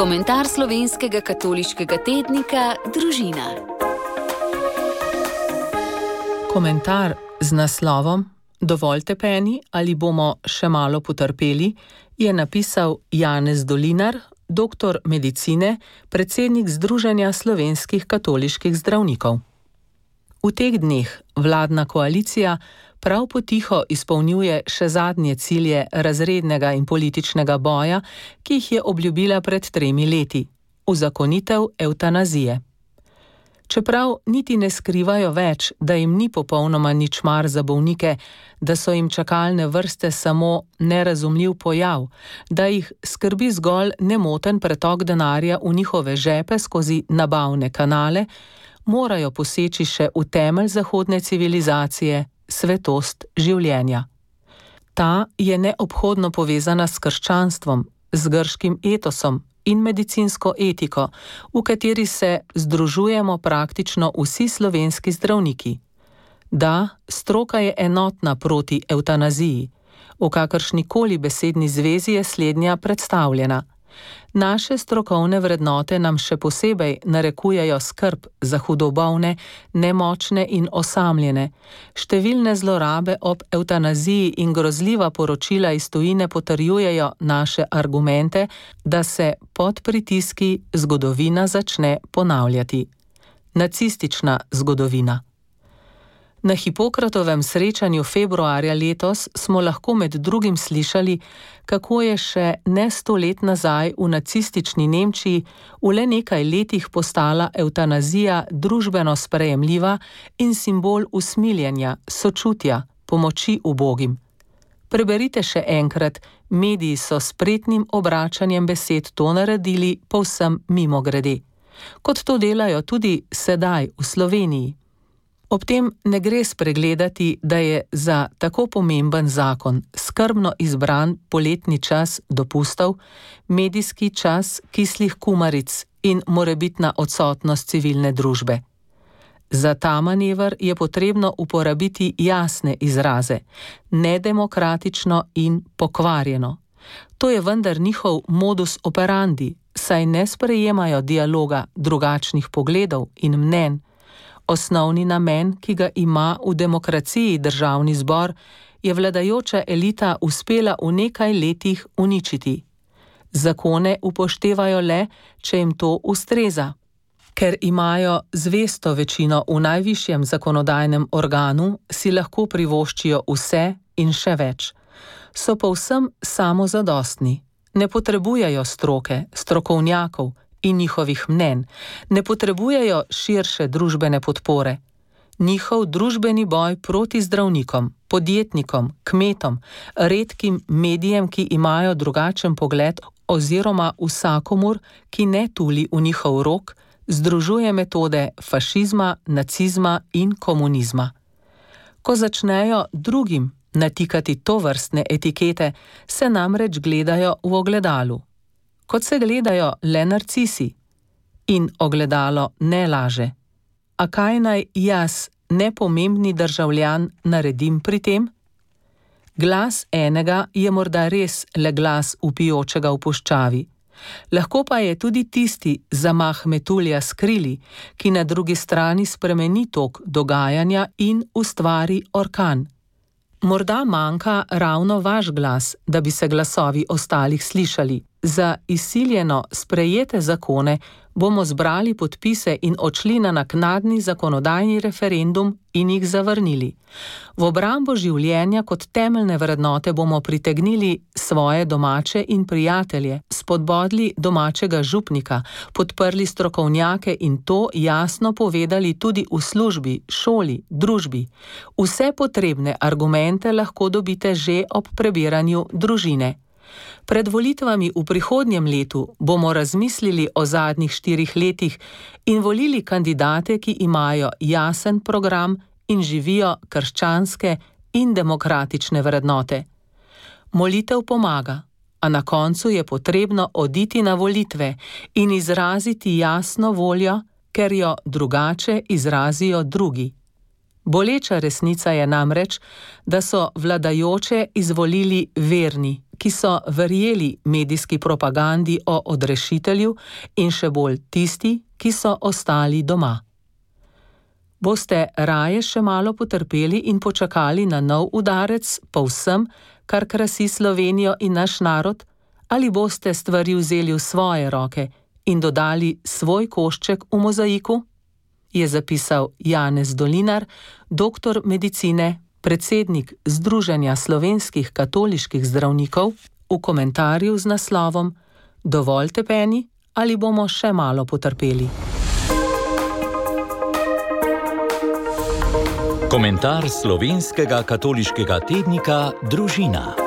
Komentar slovenskega katoliškega tednika Družina. Komentar z naslovom Dovolj tepeni ali bomo še malo potrpeli je napisal Janez Dolinar, doktor medicine, predsednik Združenja slovenskih katoliških zdravnikov. V teh dneh vladna koalicija prav potiho izpolnjuje še zadnje cilje razrednega in političnega boja, ki jih je obljubila pred 3 leti, uzakonitev evtanazije. Čeprav niti ne skrivajo več, da jim ni popolnoma nič mar za bolnike, da so jim čakalne vrste samo nerazumljiv pojav, da jih skrbi zgolj nemoten pretok denarja v njihove žepe skozi nabavne kanale, morajo poseči še v temelj zahodne civilizacije, svetost življenja. Ta je neobhodno povezana s krščanstvom, z grškim etosom in medicinsko etiko, v kateri se združujemo praktično vsi slovenski zdravniki. Da, stroka je enotna proti evtanaziji, v kakršnikoli besedni zvezi je slednja predstavljena. Naše strokovne vrednote nam še posebej narekujejo skrb za hudobolne, nemočne in osamljene. Številne zlorabe ob evtanaziji in grozljiva poročila iz tujine potrjujejo naše argumente, da se pod pritiski zgodovina začne ponavljati. Nacistična zgodovina. Na Hipokratovem srečanju februarja letos smo lahko med drugim slišali, kako je še ne 100 let nazaj v nacistični Nemčiji v le nekaj letih postala evtanazija družbeno sprejemljiva in simbol usmiljenja, sočutja, pomoči ubogim. Preberite še enkrat, mediji so s spretnim obračanjem besed to naredili povsem mimogrede. Kot to delajo tudi sedaj v Sloveniji. Ob tem ne gre spregledati, da je za tako pomemben zakon skrbno izbran poletni čas dopustov, medijski čas kislih kumaric in morebitna odsotnost civilne družbe. Za ta manever je potrebno uporabiti jasne izraze, nedemokratično in pokvarjeno. To je vendar njihov modus operandi, saj ne sprejemajo dialoga drugačnih pogledov in mnenj. Osnovni namen, ki ga ima v demokraciji Državni zbor, je vladajoča elita uspela v nekaj letih uničiti. Zakone upoštevajo le, če jim to ustreza. Ker imajo zvesto večino v najvišjem zakonodajnem organu, si lahko privoščijo vse in še več. So povsem samozadostni, ne potrebujejo stroke, strokovnjakov in njihovih mnenj, ne potrebujejo širše družbene podpore. Njihov družbeni boj proti zdravnikom, podjetnikom, kmetom, redkim medijem, ki imajo drugačen pogled oziroma vsakomur, ki ne tuli v njihov rok, združuje metode fašizma, nacizma in komunizma. Ko začnejo drugim natikati tovrstne etikete, se namreč gledajo v ogledalu. Kot se gledajo le narcisi. In ogledalo ne laže. A kaj naj jaz, nepomembni državljan, naredim pri tem? Glas enega je morda res le glas vpijočega v puščavi. Lahko pa je tudi tisti zamah metulja s krili, ki na drugi strani spremeni tok dogajanja in ustvari orkan. Morda manjka ravno vaš glas, da bi se glasovi ostalih slišali. Za izsiljeno sprejete zakone bomo zbrali podpise in odšli na naknadni zakonodajni referendum in jih zavrnili. V obrambo življenja kot temeljne vrednote bomo pritegnili svoje domače in prijatelje, spodbodli domačega župnika, podprli strokovnjake in to jasno povedali tudi v službi, šoli, družbi. Vse potrebne argumente lahko dobite že ob prebiranju Družine. Pred volitvami v prihodnjem letu bomo razmislili o zadnjih 4 letih in volili kandidate, ki imajo jasen program in živijo krščanske in demokratične vrednote. Molitev pomaga, a na koncu je potrebno oditi na volitve in izraziti jasno voljo, ker jo drugače izrazijo drugi. Boleča resnica je namreč, da so vladajoče izvolili verni, ki so verjeli medijski propagandi o odrešitelju in še bolj tisti, ki so ostali doma. Boste raje še malo potrpeli in počakali na nov udarec po vsem, kar krasi Slovenijo in naš narod, ali boste stvari vzeli v svoje roke in dodali svoj košček v mozaiku? Je zapisal Janez Dolinar, doktor medicine, predsednik Združenja slovenskih katoliških zdravnikov, v komentarju z naslovom Dovolj tepeni ali bomo še malo potrpeli? Komentar slovenskega katoliškega tednika Družina.